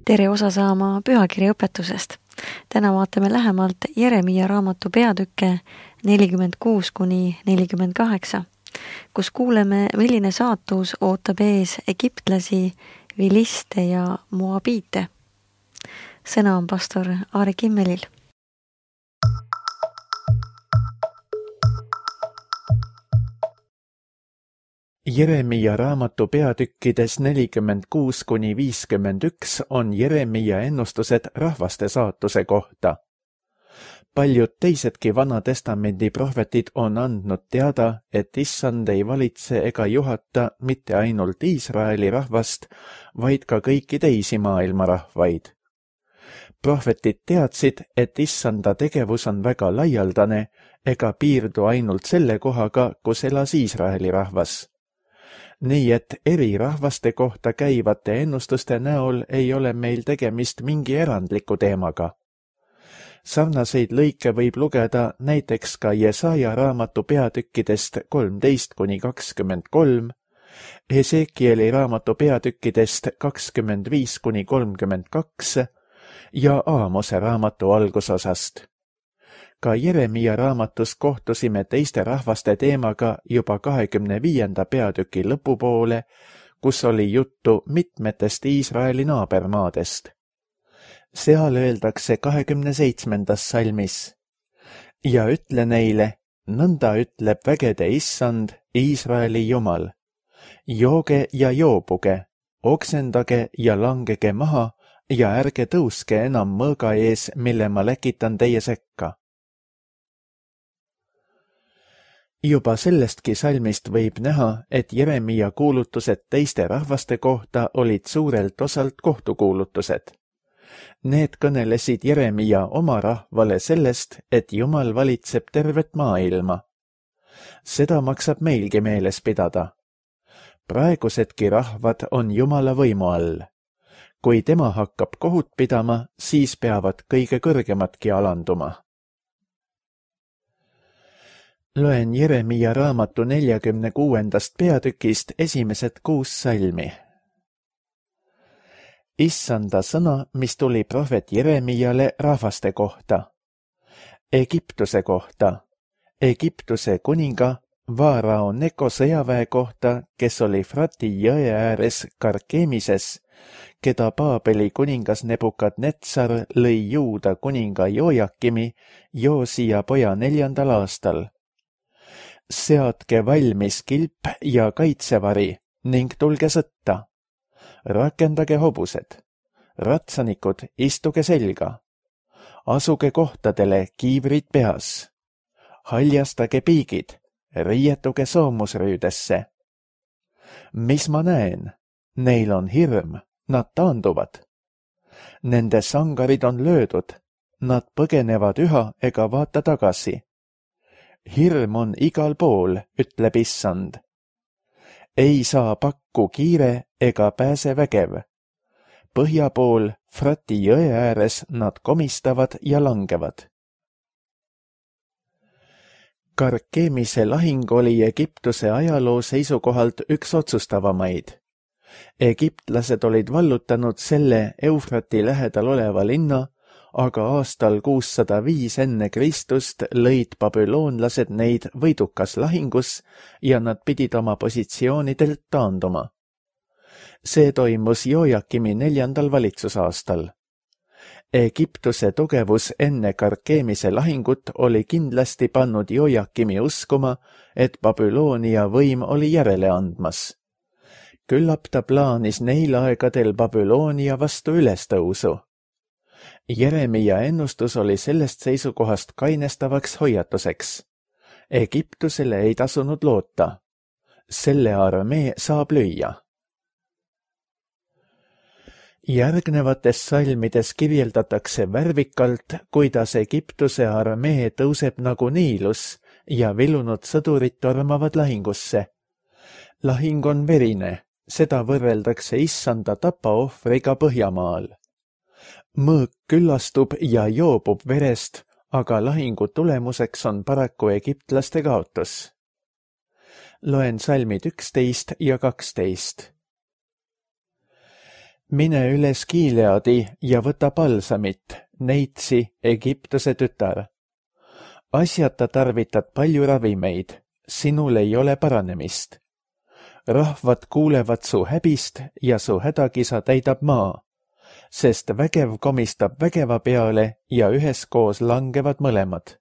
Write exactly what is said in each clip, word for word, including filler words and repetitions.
Tere osa saama pühakirja õpetusest. Täna vaatame lähemalt Jeremia raamatu peatükke nelikümmend kuus kuni nelikümmend kaheksa, kus kuuleme, milline saatus ootab ees egiptlasi, viliste ja moabiite. Sõna on pastor Aari Kimmelil. Jeremia raamatu peatükkides nelikümmend kuus kuni viiskümmend üks on Jeremia ennustused rahvaste saatuse kohta. Paljud teisedki Vana Testamendi prohvetid on andnud teada, et Issand ei valitse ega juhata mitte ainult Iisraeli rahvast, vaid ka kõiki teisi maailma rahvaid. Prohvetid teadsid, et Issanda tegevus on väga laialdane ega piirdu ainult selle kohaga, kus elas Iisraeli rahvas. Nii et eri rahvaste kohta käivate ennustuste näol ei ole meil tegemist mingi erandliku teemaga. Sarnaseid lõike võib lugeda näiteks ka Jesaja raamatu peatükkidest kolmteist kuni kakskümmend kolm, Esekieli raamatu peatükkidest kakskümmend viis kuni kolmkümmend kaks ja Aamose raamatu algusosast. Ka Jeremia raamatus kohtusime teiste rahvaste teemaga juba kahekümne viienda peatüki lõpupoole, kus oli juttu mitmetest Iisraeli naabermaadest. Seal öeldakse kahekümne seitsmendas salmis: ja ütle neile, nõnda ütleb vägede Issand, Iisraeli Jumal: jooge ja joobuge, oksendage ja langege maha ja ärge tõuske enam mõõga ees, mille ma läkitan teie sekka. Juba sellestki salmist võib näha, et Jeremia kuulutused teiste rahvaste kohta olid suurelt osalt kohtukuulutused. Need kõnelesid Jeremia oma rahvale sellest, et Jumal valitseb tervet maailma. Seda maksab meilgi meeles pidada. Praegusedki rahvad on Jumala võimu all. Kui tema hakkab kohut pidama, siis peavad kõige kõrgemadki alanduma. Loen Jeremia raamatu neljakümne kuuendast peatükist esimesed kuus salmi. Issanda sõna, mis tuli prohvet Jeremiale rahvaste kohta. Egiptuse kohta. Egiptuse kuninga Vaarao Neko sõjaväe kohta, kes oli Frati jõe ääres Karkemises, keda Paabeli kuningas Nebukadnetsar lõi Juuda kuninga Jojakimi Joosia poja neljandal aastal. Seadke valmis kilp ja kaitsevari ning tulge sõtta. Rakendage hobused. Ratsanikud, istuge selga. Asuge kohtadele, kiivrid peas. Haljastage piigid, riietuge soomusrüüdesse. Mis ma näen? Neil on hirm, nad taanduvad. Nende sangarid on löödud, nad põgenevad üha ega vaata tagasi. Hirm on igal pool, ütleb Issand. Ei saa pakku kiire ega pääse vägev. Põhja pool, Frati jõe ääres nad komistavad ja langevad. Karkemise lahing oli Egiptuse ajaloo seisukohalt üks otsustavamaid. Egiptlased olid vallutanud selle Eufrati lähedal oleva linna, aga aastal kuussada viis enne Kristust lõid babüloonlased neid võidukas lahingus ja nad pidid oma positsioonidelt taanduma. See toimus Jojakimi neljandal valitsusaastal. Egiptuse tugevus enne Karkemise lahingut oli kindlasti pannud Jojakimi uskuma, et Babyloonia võim oli järele andmas. Küllap ta plaanis neil aegadel Babyloonia vastu ülestõusu. Jeremia ennustus oli sellest seisukohast kainestavaks hoiatuseks. Egiptusele ei tasunud loota. Selle armee saab lüüa. Järgnevates salmides kirjeldatakse värvikalt, kuidas Egiptuse armee tõuseb nagu Niilus ja vilunud sõdurid tormavad lahingusse. Lahing on verine, seda võrreldakse Issanda tapaohvriga Põhjamaal. Mõõk küllastub ja joobub verest, aga lahingu tulemuseks on paraku egiptlaste kaotus. Loen salmid üksteist ja kaksteist. mine üles Gileadi ja võta palsamit, neitsi Egiptuse tütar. Asjata tarvitad palju ravimeid, sinul ei ole paranemist. Rahvad kuulevad su häbist ja su hädakisa täidab maa, sest vägev komistab vägeva peale ja üheskoos langevad mõlemad.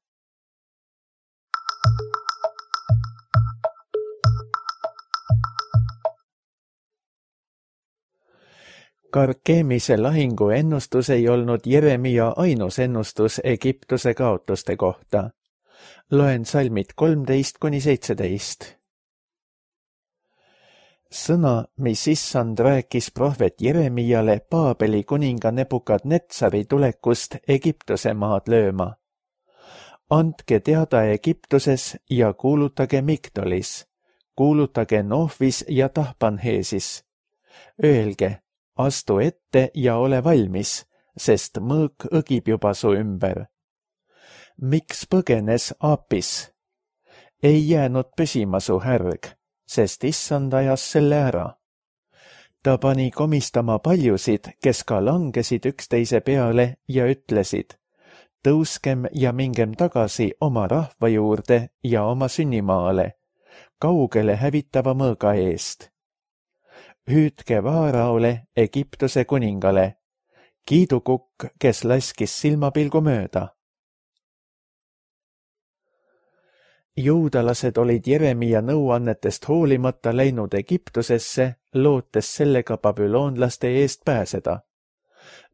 Karkemise lahingu ennustus ei olnud Jeremia ainus ennustus Egiptuse kaotuste kohta. Loen salmid kolmteist kuni seitseteist. Sõna, mis issand rääkis prohvet Jeremiale Paabeli kuninga Nebukadnetsari tulekust Egiptuse maad lööma. Andke teada Egiptuses ja kuulutage Migdolis, kuulutage Nohvis ja Tahpanheesis. Öelge, astu ette ja ole valmis, sest mõõk õgib juba su ümber. Miks põgenes Apis? Ei jäänud püsima su härg, sest issand ajas selle ära. Ta pani komistama paljusid, kes ka langesid üksteise peale ja ütlesid, tõuskem ja mingem tagasi oma rahva juurde ja oma sünnimaale, kaugele hävitava mõõga eest. Hüüdke Vaaraole, Egiptuse kuningale, kiidukukk, kes laskis silmapilgu mööda. Juudalased olid Jeremia nõuannetest hoolimata läinud Egiptusesse, lootes sellega babüloonlaste eest pääseda.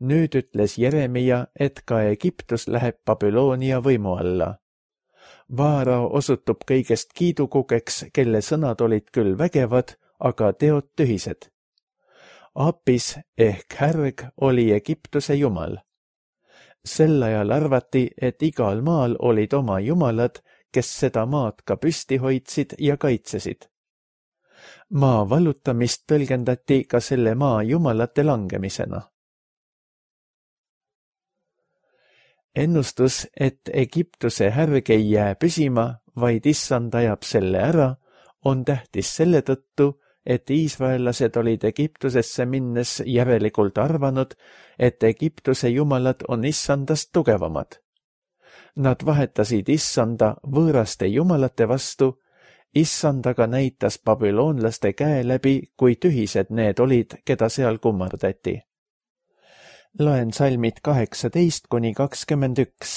Nüüd ütles Jeremia, et ka Egiptus läheb Babyloonia võimu alla. Vaarao osutub kõigest kiidukukeks, kelle sõnad olid küll vägevad, aga teod tühised. Apis ehk härg oli Egiptuse jumal. Sel ajal arvati, et igal maal olid oma jumalad, kes seda maad ka püsti hoidsid ja kaitsesid. Maa vallutamist tõlgendati ka selle maa jumalate langemisena. Ennustus, et Egiptuse härg ei jää püsima, vaid issand ajab selle ära, on tähtis selle tõttu, et iisraellased olid Egiptusesse minnes järelikult arvanud, et Egiptuse jumalad on issandast tugevamad. Nad vahetasid issanda võõraste jumalate vastu, issand aga näitas babüloonlaste käe läbi, kui tühised need olid, keda seal kummardati. Loen salmid kaheksateist kuni kakskümmend üks.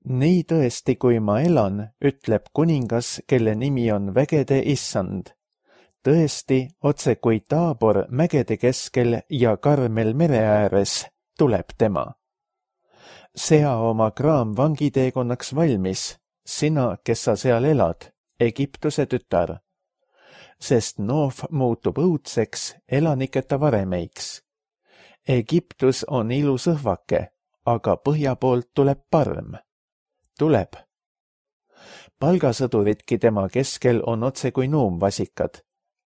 Nii tõesti, kui ma elan, ütleb kuningas, kelle nimi on vägede issand. Tõesti, otse kui Taabor mägede keskel ja Karmel mere ääres, tuleb tema. Sea oma kraam vangiteekonnaks valmis, sina, kes sa seal elad, Egiptuse tütar. Sest Noof muutub õudseks, elaniketa varemeiks. Egiptus on ilus õhvake, aga põhja poolt tuleb parm. Tuleb. Palgasõduridki tema keskel on otse kui nuumvasikad,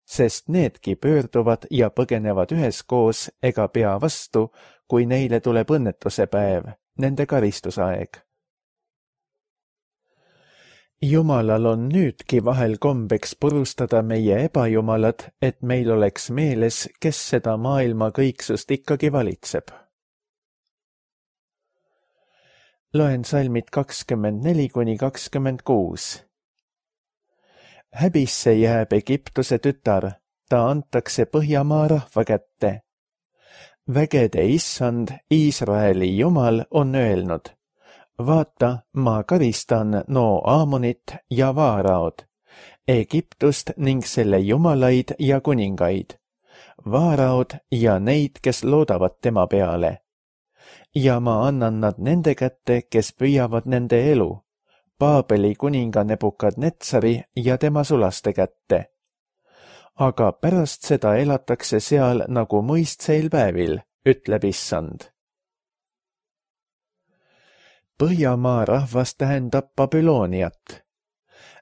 sest needki pöörduvad ja põgenevad üheskoos ega pea vastu, kui neile tuleb õnnetuse päev, nende karistusaeg. Jumalal on nüüdki vahel kombeks purustada meie ebajumalad, et meil oleks meeles, kes seda maailma kõiksust ikkagi valitseb. Loen salmid kakskümmend neli kuni kakskümmend kuus. Häbisse jääb Egiptuse tütar, ta antakse Põhjamaa rahva kätte. Vägede issand, Iisraeli jumal, on öelnud, vaata, ma karistan no Aamonit ja Vaaraod, Egiptust ning selle jumalaid ja kuningaid, Vaaraod ja neid, kes loodavad tema peale. Ja ma annan nad nende kätte, kes püüavad nende elu, Paabeli kuninga Nebukadnetsari ja tema sulaste kätte. Aga pärast seda elatakse seal nagu mõistseil päevil, ütleb issand. Põhjamaa rahvas tähendab Babyloniat.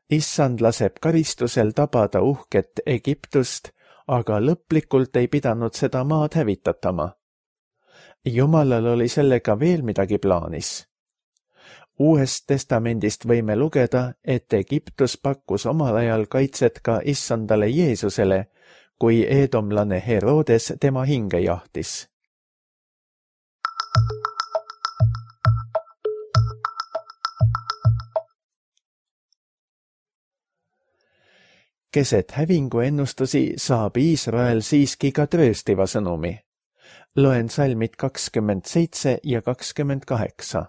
Issand laseb karistusel tabada uhket Egiptust, aga lõplikult ei pidanud seda maad hävitatama. Jumalal oli sellega veel midagi plaanis. Uuest testamendist võime lugeda, et Egiptus pakkus omal ajal kaitset ka issandale Jeesusele, kui eedomlane Herodes tema hinge jahtis. Keset hävingu ennustusi saab Iisrael siiski ka trööstiva sõnumi. Loen salmid kakskümmend seitse ja kakskümmend kaheksa.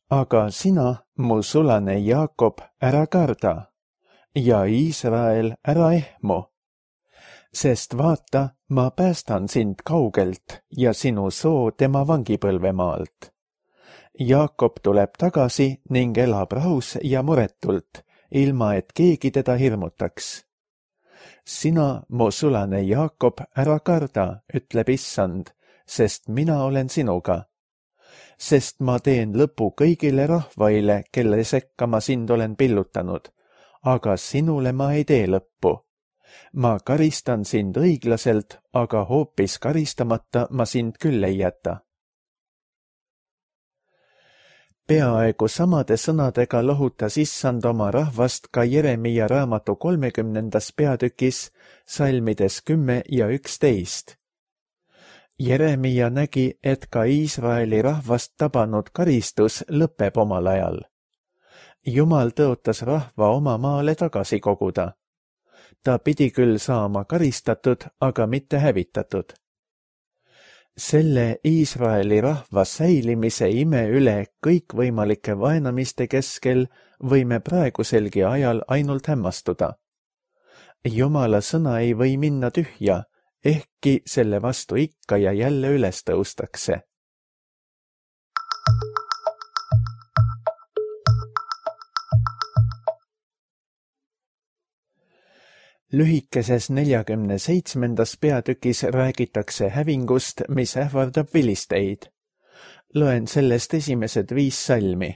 Aga sina, mu sulane Jaakob, ära karda ja Iisrael ära ehmu, sest vaata, ma päästan sind kaugelt ja sinu soo tema vangipõlvemaalt. Jaakob tuleb tagasi ning elab rahus ja muretult, ilma et keegi teda hirmutaks. Sina, mu sulane Jaakob, ära karda, ütleb Issand, sest mina olen sinuga. Sest ma teen lõpu kõigile rahvaile, kelle sekka ma sind olen pillutanud, aga sinule ma ei tee lõppu. Ma karistan sind õiglaselt, aga hoopis karistamata ma sind küll ei jäta. Peaaegu samade sõnadega lohutas Issand oma rahvast ka Jeremia raamatu kolmekümnendas peatükis, salmides kümme ja üksteist. Jeremia nägi, et ka Iisraeli rahvast tabanud karistus lõpeb omal ajal. Jumal tõotas rahva oma maale tagasi koguda. Ta pidi küll saama karistatud, aga mitte hävitatud. Selle Iisraeli rahva säilimise ime üle kõikvõimalike vaenamiste keskel võime praeguselgi ajal ainult hämmastuda. Jumala sõna ei või minna tühja, ehkki selle vastu ikka ja jälle üles tõustakse. Lühikeses neljakümne seitsmendas peatükis räägitakse hävingust, mis ähvardab vilisteid. Loen sellest esimesed viis salmi.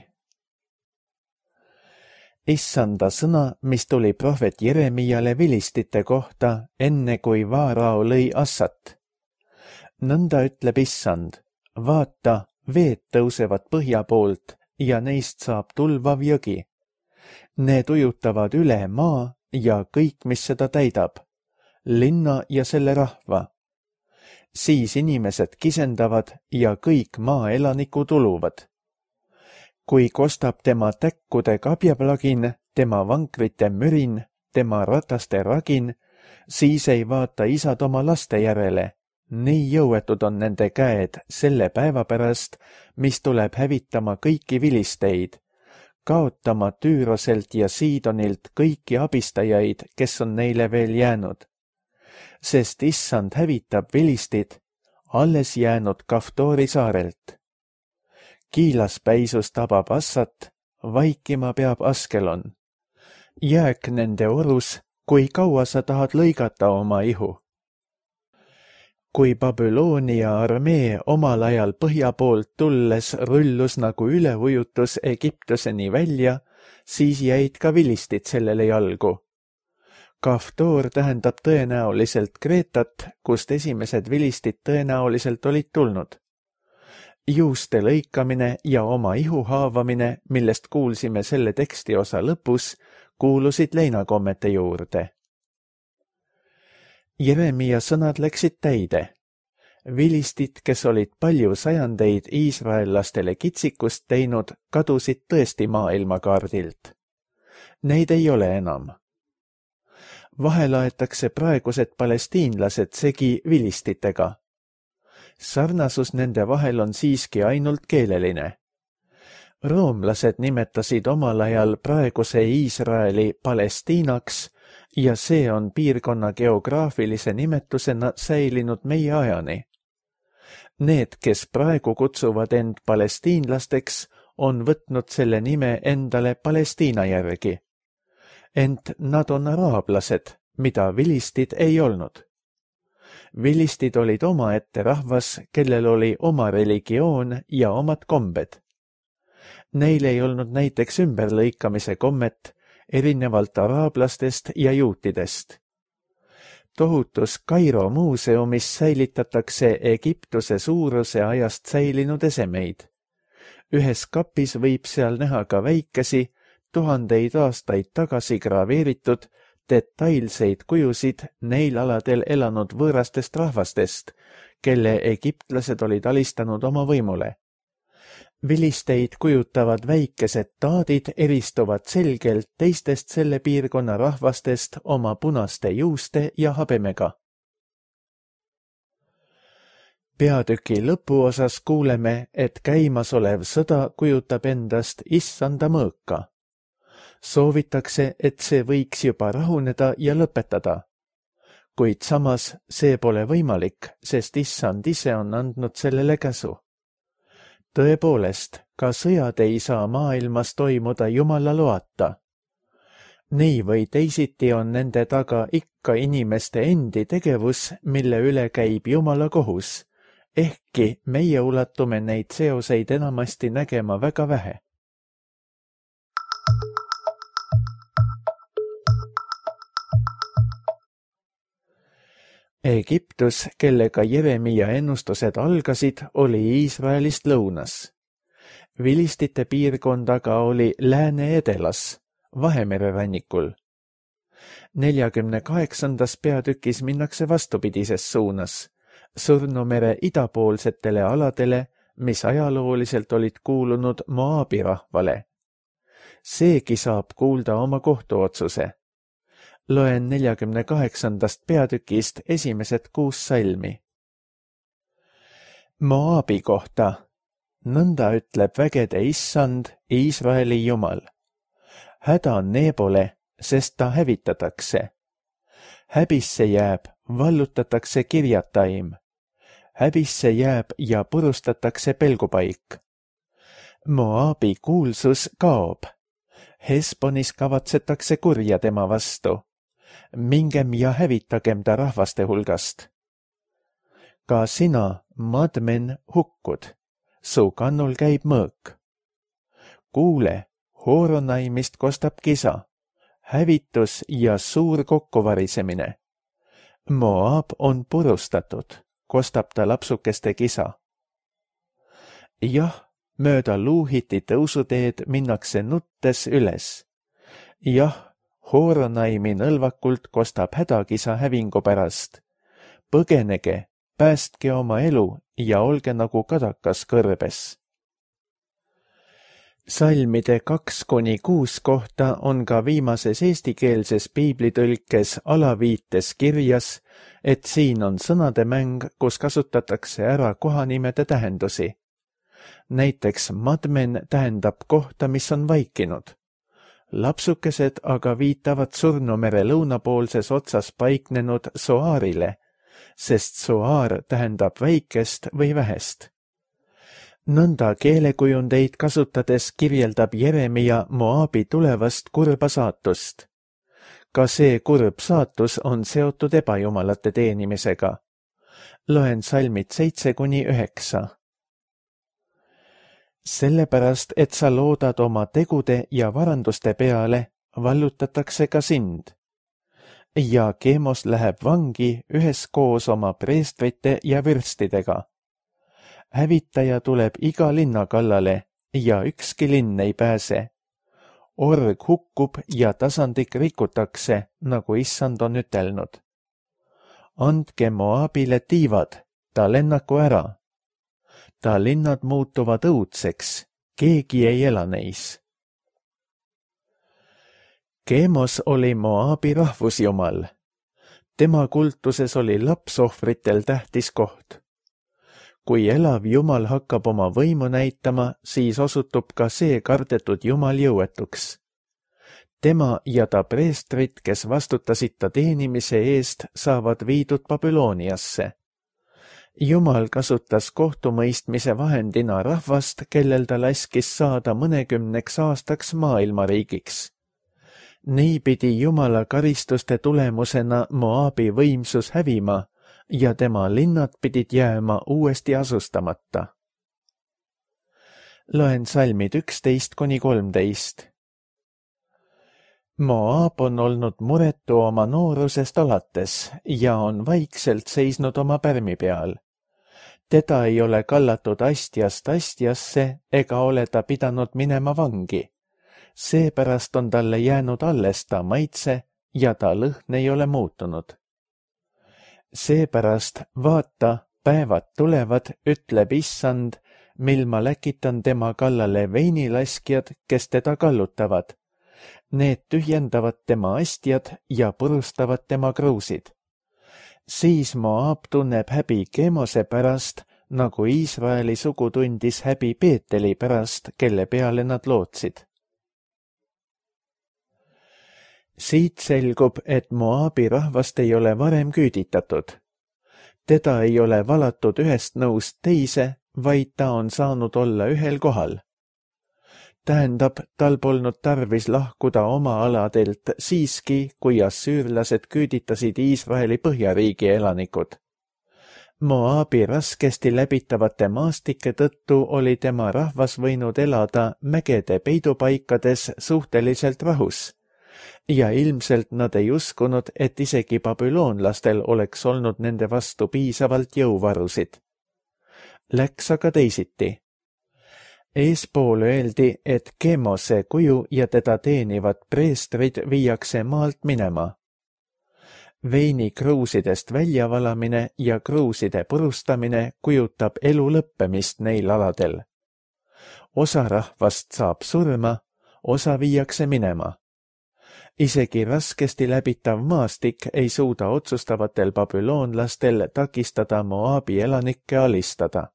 Issanda sõna, mis tuli prohvet Jeremiale vilistite kohta, enne kui Vaarao lõi Assat. Nõnda ütleb Issand, vaata, veed tõusevad põhja poolt ja neist saab tulvav jõgi. Need ujutavad üle maa ja kõik, mis seda täidab, linna ja selle rahva. Siis inimesed kisendavad ja kõik maaelanikud uluvad. Kui kostab tema täkkude kabjaplagin, tema vankrite mürin, tema rataste ragin, siis ei vaata isad oma laste järele. Nii jõuetud on nende käed selle päeva pärast, mis tuleb hävitama kõiki vilisteid, kaotama Tüüroselt ja Siidonilt kõiki abistajaid, kes on neile veel jäänud. Sest Issand hävitab vilistid, alles jäänud Kaftoori saarelt. Kiilaspäisus tabab Assat, vaikima peab Askelon. Jääk nende orus, kui kaua sa tahad lõigata oma ihu. Kui Babyloonia armee omal ajal põhja poolt tulles rullus nagu üleujutus Egiptuseni välja, siis jäid ka vilistid sellele jalgu. Kaftoor tähendab tõenäoliselt Kreetat, kust esimesed vilistid tõenäoliselt olid tulnud. Juuste lõikamine ja oma ihu haavamine, millest kuulsime selle tekstiosa lõpus, kuulusid leinakommete juurde. Jeremia sõnad läksid täide. Vilistid, kes olid palju sajandeid iisraellastele kitsikust teinud, kadusid tõesti maailmakaardilt. Neid ei ole enam. Vahel aetakse praegused palestiinlased segi vilistitega. Sarnasus nende vahel on siiski ainult keeleline. Roomlased nimetasid omal ajal praeguse Iisraeli Palestiinaks ja see on piirkonna geograafilise nimetusena säilinud meie ajani. Need, kes praegu kutsuvad end palestiinlasteks, on võtnud selle nime endale Palestiina järgi. Ent nad on araablased, mida vilistid ei olnud. Vilistid olid omaette rahvas, kellel oli oma religioon ja omad kombed. Neil ei olnud näiteks ümberlõikamise kommet, erinevalt araablastest ja juutidest. Tohutus Kairo muuseumis säilitatakse Egiptuse suuruse ajast säilinud esemeid. Ühes kapis võib seal näha ka väikesi, tuhandeid aastaid tagasi graveeritud detailseid kujusid neil aladel elanud võõrastest rahvastest, kelle egiptlased olid alistanud oma võimule. Vilisteid kujutavad väikesed taadid eristuvad selgelt teistest selle piirkonna rahvastest oma punaste juuste ja habemega. Peatüki lõpuosas kuuleme, et käimasolev sõda kujutab endast issanda mõõka. Soovitakse, et see võiks juba rahuneda ja lõpetada. Kuid samas see pole võimalik, sest issand ise on andnud sellele käsu. Tõepoolest, ka sõjad ei saa maailmas toimuda Jumala loata. Nii või teisiti on nende taga ikka inimeste endi tegevus, mille üle käib Jumala kohus, ehkki meie ulatume neid seoseid enamasti nägema väga vähe. Egiptus, kellega Jeremia ennustused algasid, oli Iisraelist lõunas. Vilistite piirkond aga oli lääne-edelas, Vahemere rannikul. neljakümne kaheksandas peatükis minnakse vastupidises suunas, Surnumere idapoolsetele aladele, mis ajalooliselt olid kuulunud Moabi rahvale. Seegi saab kuulda oma kohtuotsuse. Loen neljakümne kaheksandast peatükist esimesed kuus salmi. Moabi kohta. Nõnda ütleb vägede issand, Iisraeli Jumal. Häda Nebole, sest ta hävitatakse. Häbisse jääb, vallutatakse Kirjataim. Häbisse jääb ja purustatakse pelgupaik. Moabi kuulsus kaob. Hesbonis kavatsetakse kurja tema vastu. Mingem ja hävitagem ta rahvaste hulgast. Ka sina, Madmen, hukkud. Su kannul käib mõõk. Kuule, Horonaimist kostab kisa, hävitus ja suur kokkuvarisemine. Moab on purustatud, kostab ta lapsukeste kisa. Jah, mööda Luuhiti tõusuteed minnakse nuttes üles. Jah, Horonaimi nõlvakult kostab hädakisa hävingu pärast. Põgenege, päästke oma elu ja olge nagu kadakas kõrbes. Salmide kaks kuni kuus kohta on ka viimases eestikeelses piiblitõlkes alaviites kirjas, et siin on sõnade mäng, kus kasutatakse ära kohanimede tähendusi. Näiteks Madmen tähendab kohta, mis on vaikinud. Lapsukesed aga viitavad Surnumere lõunapoolses otsas paiknenud Soaarile, sest Soaar tähendab väikest või vähest. Nõnda keelekujundeid kasutades kirjeldab Jeremia Moabi tulevast kurba saatust. Ka see kurb saatus on seotud ebajumalate teenimisega. Loen salmid seitse kuni üheksa. Sellepärast, et sa loodad oma tegude ja varanduste peale, vallutatakse ka sind. Ja Keemos läheb vangi üheskoos oma preestrite ja vürstidega. Hävitaja tuleb iga linna kallale ja ükski linn ei pääse. Org hukkub ja tasandik rikutakse, nagu issand on ütelnud. Andke Moabile tiivad, ta lennaku ära. Ta linnad muutuvad õudseks, keegi ei ela neis. Keemos oli Moabi rahvusjumal. Tema kultuses oli lapsohvritel tähtis koht. Kui elav jumal hakkab oma võimu näitama, siis osutub ka see kardetud jumal jõuetuks. Tema ja ta preestrid, kes vastutasid ta teenimise eest, saavad viidud Babyloniasse. Jumal kasutas kohtumõistmise vahendina rahvast, kellel ta laskis saada mõnekümneks aastaks maailmariigiks. Nii pidi Jumala karistuste tulemusena Moabi võimsus hävima ja tema linnad pidid jääma uuesti asustamata. Loen salmid üksteist kuni kolmteist. Moab on olnud muretu oma noorusest alates ja on vaikselt seisnud oma pärmi peal. Teda ei ole kallatud astjast astjasse ega ole ta pidanud minema vangi. Seepärast on talle jäänud alles ta maitse ja ta lõhn ei ole muutunud. Seepärast vaata, päevad tulevad, ütleb issand, mil ma läkitan tema kallale veinilaskjad, kes teda kallutavad. Need tühjendavad tema astjad ja purustavad tema kruusid. Siis Moab tunneb häbi Kemose pärast, nagu Iisraeli sugu tundis häbi Peeteli pärast, kelle peale nad lootsid. Siit selgub, et Moabi rahvast ei ole varem küüditatud. Teda ei ole valatud ühest nõust teise, vaid ta on saanud olla ühel kohal. Tähendab, tal polnud tarvis lahkuda oma aladelt siiski, kui assüürlased küüditasid Iisraeli põhjariigi elanikud. Moabi raskesti läbitavate maastike tõttu oli tema rahvas võinud elada mägede peidupaikades suhteliselt rahus, ja ilmselt nad ei uskunud, et isegi babüloonlastel oleks olnud nende vastu piisavalt jõuvarusid. Läks aga teisiti. Eespool öeldi, et Kemose kuju ja teda teenivad preestrid viiakse maalt minema. Veini kruusidest väljavalamine ja kruuside purustamine kujutab elu lõppemist neil aladel. Osa rahvast saab surma, osa viiakse minema. Isegi raskesti läbitav maastik ei suuda otsustavatel babüloonlastel takistada Moabi elanikke alistada.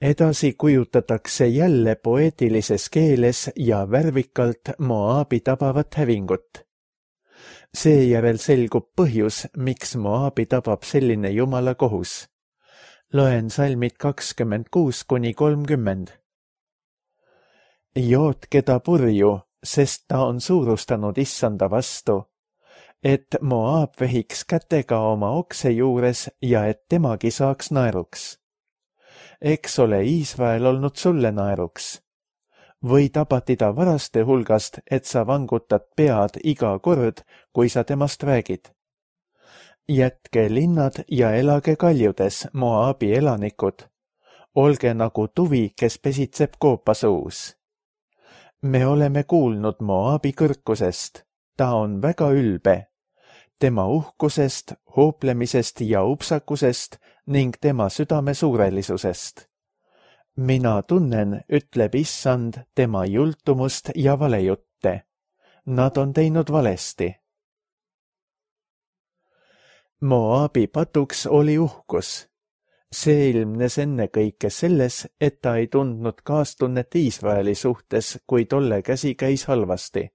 Edasi kujutatakse jälle poeetilises keeles ja värvikalt Moabi tabavat hävingut. Seejärel selgub põhjus, miks Moabi tabab selline jumala kohus. Loen salmid kakskümmend kuus kuni kolmkümmend. Jootke ta purju, sest ta on suurustanud issanda vastu, et Moab vehiks kätega oma okse juures ja et temagi saaks naeruks. Eks ole Iisrael olnud sulle naeruks. Või tabati ta varaste hulgast, et sa vangutad pead iga kord, kui sa temast räägid. Jätke linnad ja elage kaljudes, Moabi elanikud. Olge nagu tuvi, kes pesitseb koopasuus. Me oleme kuulnud Moabi kõrkusest. Ta on väga ülbe. Tema uhkusest, hooplemisest ja upsakusest ning tema südame suurelisusest. Mina tunnen, ütleb issand, tema jultumust ja valejutte. Nad on teinud valesti. Moabi patuks oli uhkus. See ilmnes ennekõike selles, et ta ei tundnud kaastunnet Iisraeli suhtes, kui tolle käsi käis halvasti.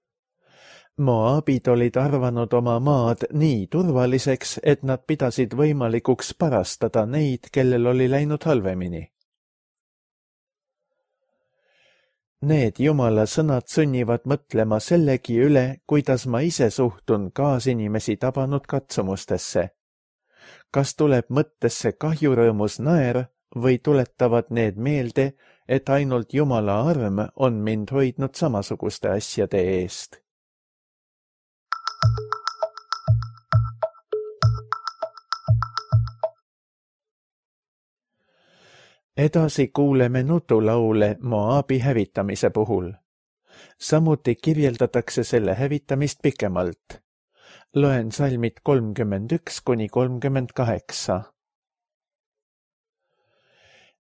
Moabid olid arvanud oma maad nii turvaliseks, et nad pidasid võimalikuks parastada neid, kellel oli läinud halvemini. Need jumala sõnad sunnivad mõtlema sellegi üle, kuidas ma ise suhtun kaasinimesi tabanud katsumustesse. Kas tuleb mõttesse kahjurõõmus naer või tuletavad need meelde, et ainult jumala arm on mind hoidnud samasuguste asjade eest? Edasi kuuleme nutulaule Moabi hävitamise puhul. Samuti kirjeldatakse selle hävitamist pikemalt. Loen salmid kolmkümmend üks kuni kolmkümmend kaheksa.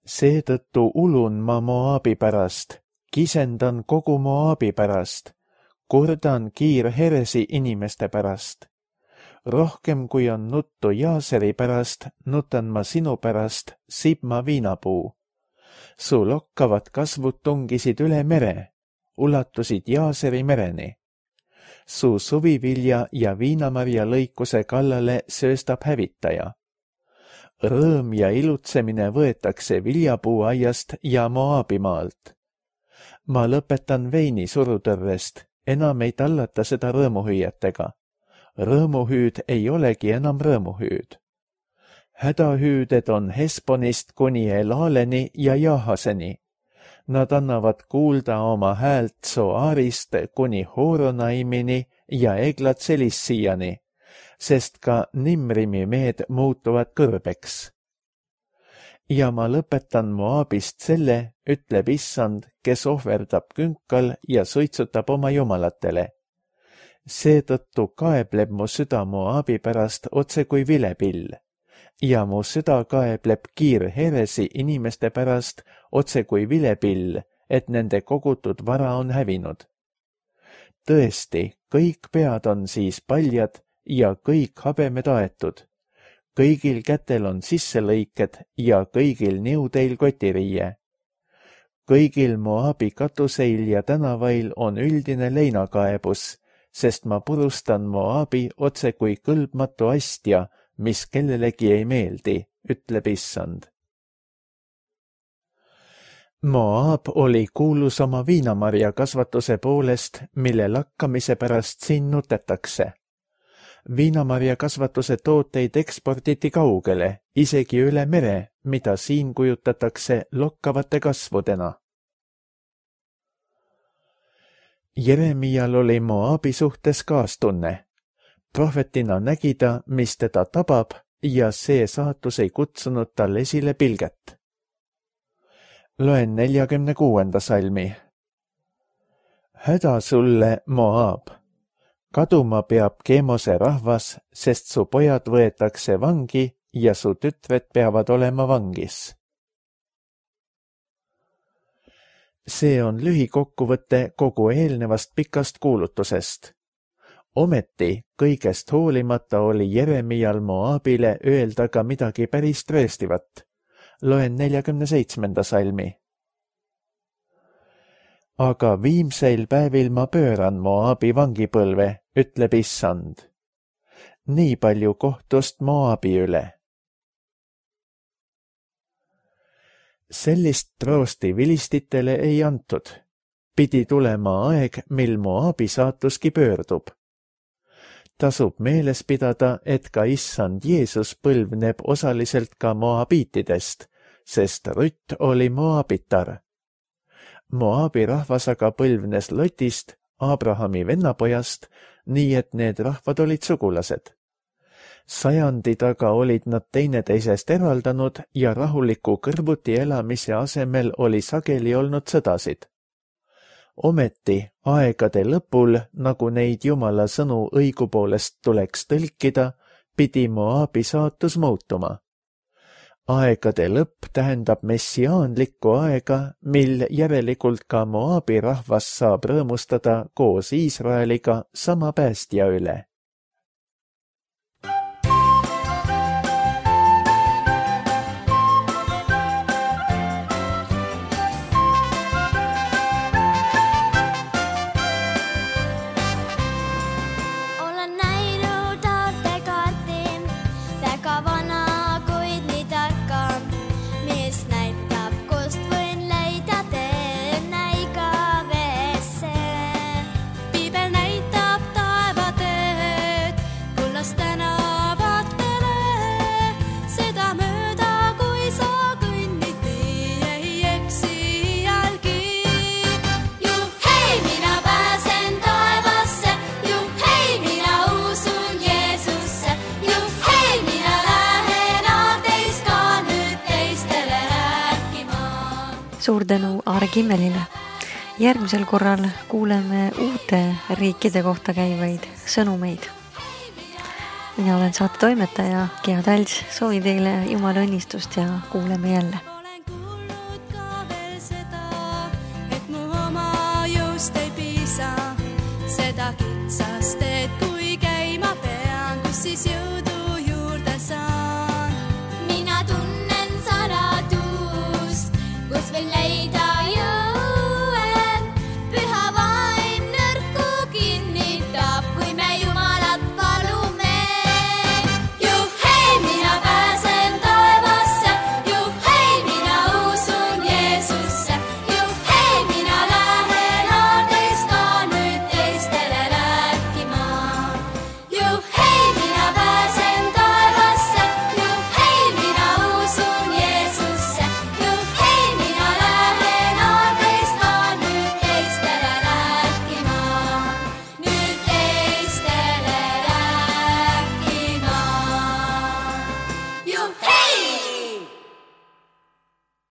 Seetõttu ulun ma Moabi pärast, kisendan kogu Moabi pärast, kurdan kiirheresi inimeste pärast. Rohkem kui on nuttu Jaaseri pärast, nutan ma sinu pärast, Sibma viinapuu. Su lokkavad kasvud tungisid üle mere, ulatusid Jaaseri mereni. Su suvivilja ja viinamarja lõikuse kallale sööstab hävitaja. Rõõm ja ilutsemine võetakse viljapuuaiast ja Moabi maalt. Ma lõpetan veini surutõrrest, enam ei tallata seda rõõmuhüüetega. Rõõmuhüüd ei olegi enam rõõmuhüüd. Hädahüüded on Hesponist kuni Elaaleni ja Jaahaseni. Nad annavad kuulda oma häält Soarist kuni Horonaimini ja Eglatselissiiani, sest ka Nimrimi mehed muutuvad kõrbeks. Ja ma lõpetan Moabist selle, ütleb issand, kes ohverdab künkal ja suitsutab oma jumalatele. Seetõttu kaebleb mu süda Moabi pärast otse kui vilepill ja mu süda kaebleb kiirheresi inimeste pärast otse kui vilepill, et nende kogutud vara on hävinud. Tõesti, kõik pead on siis paljad ja kõik habemed aetud. Kõigil kätel on sisselõiked ja kõigil niudeil kotiriie. Kõigil Moabi katuseil ja tänavail on üldine leinakaebus, sest ma purustan Moabi otse kui kõlbmatu astja, mis kellelegi ei meeldi, ütleb Issand. Moab oli kuulus oma viinamarja kasvatuse poolest, mille lakkamise pärast siin nutetakse. Viinamarja kasvatuse tooteid eksporditi kaugele, isegi üle mere, mida siin kujutatakse lokkavate kasvudena. Jeremial oli Moabi suhtes kaastunne. Prohvetina nägi ta, mis teda tabab, ja see saatus ei kutsunud tal esile pilget. Loen neljakümne kuuenda salmi. Häda sulle, Moab! Kaduma peab Kemose rahvas, sest su pojad võetakse vangi ja su tütred peavad olema vangis. See on lühikokkuvõte kogu eelnevast pikast kuulutusest. Ometi kõigest hoolimata oli Jeremial Moabile öelda ka midagi päris trööstivat. Loen neljakümne seitsmenda salmi. Aga viimseil päevil ma pööran Moabi vangipõlve, ütleb Issand. Nii palju kohtust Moabi üle. Sellist troosti vilistitele ei antud. Pidi tulema aeg, mil Moabi saatuski pöördub. Tasub meeles pidada, et ka Issand Jeesus põlvneb osaliselt ka moabiitidest, sest Rütt oli moabitar. Moabi rahvas aga põlvnes Lotist, Abrahami vennapojast, nii et need rahvad olid sugulased. Sajandi taga olid nad teineteisest eraldanud ja rahuliku kõrvuti elamise asemel oli sageli olnud sõdasid. Ometi aegade lõpul, nagu neid Jumala sõnu õigupoolest tuleks tõlkida, pidi Moabi saatus muutuma. Aegade lõpp tähendab messiaanlikku aega, mil järelikult ka Moabi rahvas saab rõõmustada koos Iisraeliga sama päästja üle. Suur tänu Aare Kimmelile. Järgmisel korral kuuleme uute riikide kohta käivaid sõnumeid. Mina olen saate toimetaja Gea Talts, soovin teile Jumala õnnistust ja kuuleme jälle. Olen kuulnud ka veel seda, et mu oma jõust ei piisa. Seda kitsast, et kui käima pean, kus siis jõud